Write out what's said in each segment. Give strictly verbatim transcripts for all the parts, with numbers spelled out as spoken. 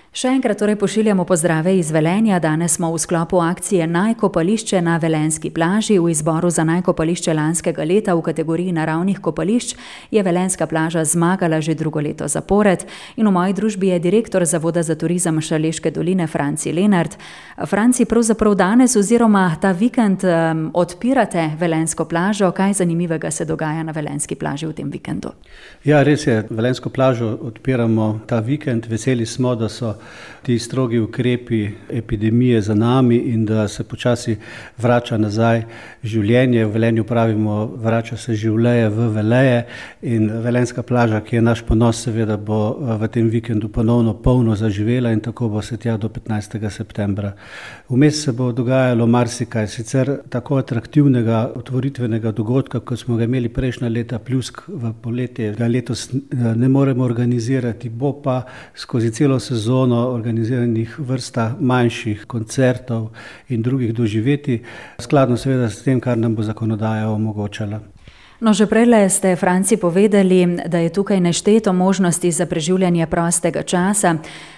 Še enkrat torej pošiljamo pozdrave iz Velenja. Danes smo v sklopu akcije Najkopališče na Velenjski plaži. V izboru za najkopališče lanskega leta v kategoriji naravnih kopališč je Velenjska plaža zmagala že drugo leto zapored. In v moji družbi je direktor Zavoda za turizem Šaleške doline Franci Lenart. Franci, pravzaprav danes oziroma ta vikend um, odpirate Velenjsko plažo. Kaj zanimivega se dogaja na Velenjski plaži v tem vikendu? Ja, res je. Velenjsko plažo odpiramo ta vikend. Veseli smo, da so ti strogi ukrepi epidemije za nami in da se počasi vrača nazaj življenje. V Velenju pravimo, vrača se življenje v Veleje, in Velenjska plaža, ki je naš ponos, seveda bo v tem vikendu ponovno polno zaživela in tako bo se tja do petnajstega septembra. Vmes se bo dogajalo marsikaj, sicer tako atraktivnega otvoritvenega dogodka, kot smo ga imeli prejšnja leta, Pljusk v poletje, ga letos ne moremo organizirati, bo pa skozi celo sezono organiziranih vrsta manjših koncertov in drugih doživetij, skladno seveda s tem, kar nam bo zakonodaja omogočala. No, že prejle ste, Franci, povedali, da je tukaj nešteto možnosti za preživljanje prostega časa.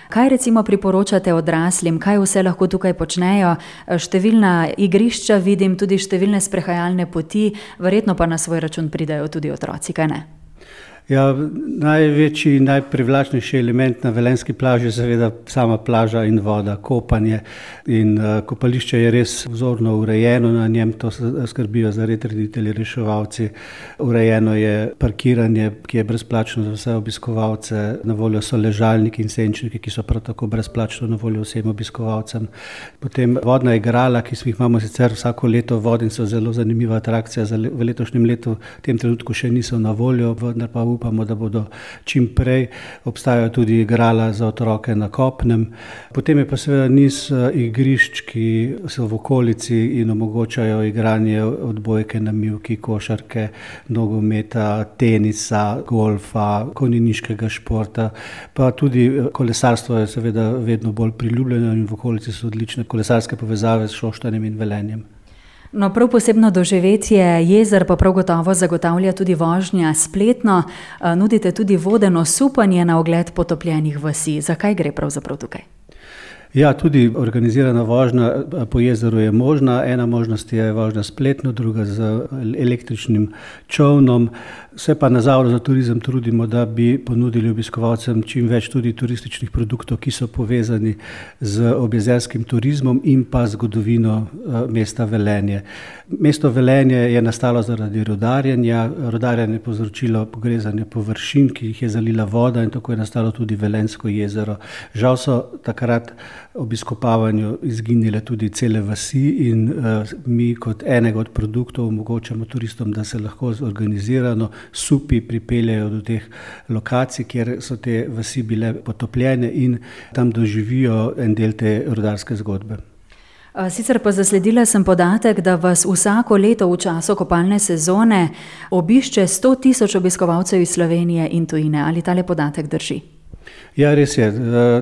Kaj recimo priporočate odraslim, kaj vse lahko tukaj počnejo? Številna igrišča vidim, tudi številne sprehajalne poti, verjetno pa na svoj račun pridajo tudi otroci, kaj ne? Ja, največji in najprivlačnejši element na Velenjski plaži je seveda sama plaža in voda, kopanje. In uh, kopališče je res vzorno urejeno, na njem to skrbijo zareditelji, reševalci. Urejeno je parkiranje, ki je brezplačno za vse obiskovalce, na voljo so ležalniki in senčniki, ki so prav tako brezplačno na voljo vsem obiskovalcem. Potem vodna igrala, ki smo jih imamo sicer vsako leto vod in so zelo zanimiva atrakcija, za le, v letošnjem letu v tem trenutku še niso na voljo, vendar pa upamo, da bodo čim prej. Obstajajo tudi igrala za otroke na kopnem. Potem je pa seveda niz igrišč, ki so v okolici in omogočajo igranje odbojke na mivki, košarke, nogometa, tenisa, golfa, konjeniškega športa. Pa tudi kolesarstvo je seveda vedno bolj priljubljeno in v okolici so odlične kolesarske povezave s Šoštanjem in Velenjem. No, prav posebno doživetje jezer pa prav gotovo zagotavlja tudi vožnja spletno. Nudite tudi vodeno supanje na ogled potopljenih vasi. Zakaj gre pravzaprav tukaj? Ja, tudi organizirana vožnja po jezeru je možna. Ena možnost je vožnja spletno, druga z električnim čolnom. Se pa na Zavodu za turizem trudimo, da bi ponudili obiskovalcem čim več tudi turističnih produktov, ki so povezani z objezerskim turizmom in pa zgodovino mesta Velenje. Mesto Velenje je nastalo zaradi rudarjenja. Rudarjenje je povzročilo pogrezanje površin, ki jih je zalila voda, in tako je nastalo tudi Velenjsko jezero. Žal so takrat ob izkopavanju izginile tudi cele vasi in uh, mi kot enega od produktov omogočamo turistom, da se lahko organizirano supi pripeljajo do teh lokacij, kjer so te vasi bile potopljene in tam doživijo en del te rudarske zgodbe. Sicer pa zasledila sem podatek, da vas vsako leto v času kopalne sezone obišče sto tisoč obiskovalcev iz Slovenije in tujine. Ali tale podatek drži? Ja, res je.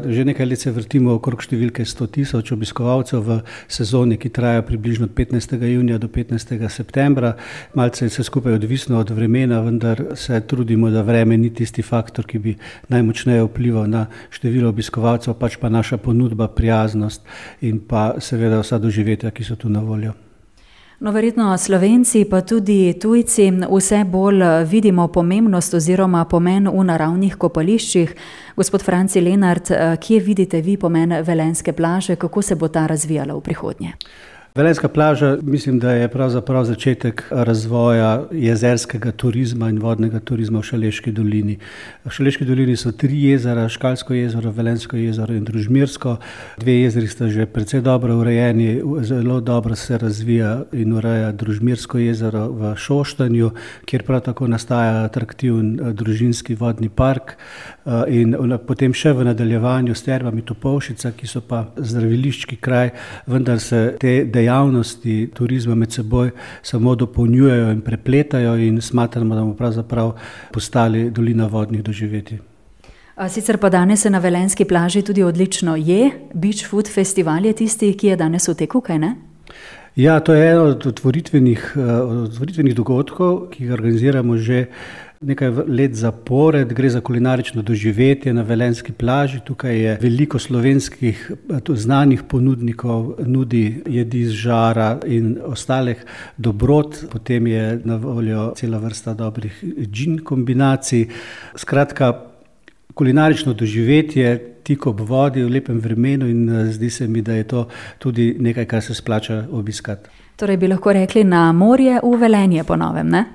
Že nekaj let se vrtimo okrog številke sto tisoč obiskovalcev v sezoni, ki traja približno od petnajstega junija do petnajstega septembra. Malce je vse skupaj odvisno od vremena, vendar se trudimo, da vreme ni tisti faktor, ki bi najmočneje vplival na število obiskovalcev, pač pa naša ponudba, prijaznost in pa seveda vsa doživetja, ki so tu na voljo. No, verjetno Slovenci pa tudi tujci vse bolj vidimo pomembnost oziroma pomen v naravnih kopališčih. Gospod Franci Lenart, kje vidite vi pomen Velenjske plaže, kako se bo ta razvijala v prihodnje? Velenjska plaža, mislim, da je pravzaprav začetek razvoja jezerskega turizma in vodnega turizma v Šaleški dolini. V Šaleški dolini so tri jezera, Škalsko jezero, Velenjsko jezero in Družmirsko. Dve jezeri sta že precej dobro urejeni, zelo dobro se razvija in ureja Družmirsko jezero v Šoštanju, kjer prav tako nastaja atraktiven družinski vodni park, in potem še v nadaljevanju s termami Topolšica, ki so pa zdraviliški kraj, vendar se te dejavnosti turizma med seboj samo dopolnjujejo in prepletajo in smatramo, da bomo pravzaprav postali dolina vodnih doživetij. Sicer pa danes se na Velenjski plaži tudi odlično je. Beach Food Festival je tisti, ki je danes v teku, kaj ne? Ja, to je eno od otvoritvenih, otvoritvenih dogodkov, ki ga organiziramo že nekaj let zapored. Gre za kulinarično doživetje na velenjski plaži. Tukaj je veliko slovenskih znanih ponudnikov, nudi jedi z žara in ostalih dobrot. Potem je na voljo cela vrsta dobrih džin kombinacij. Skratka, kulinarično doživetje tik ob vodi v lepem vremenu in zdi se mi, da je to tudi nekaj, kar se splača obiskati. Torej bi lahko rekli na morje v Velenje po novem, ne?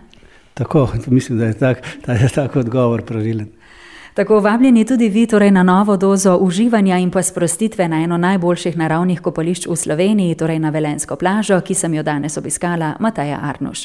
Tako, mislim, da je tak, da je tak odgovor pravilen. Tako vabljeni tudi vi torej na novo dozo uživanja in pa sprostitve na eno najboljših naravnih kopališč v Sloveniji, torej na velenjsko plažo, ki sem jo danes obiskala, Mateja Arnuš.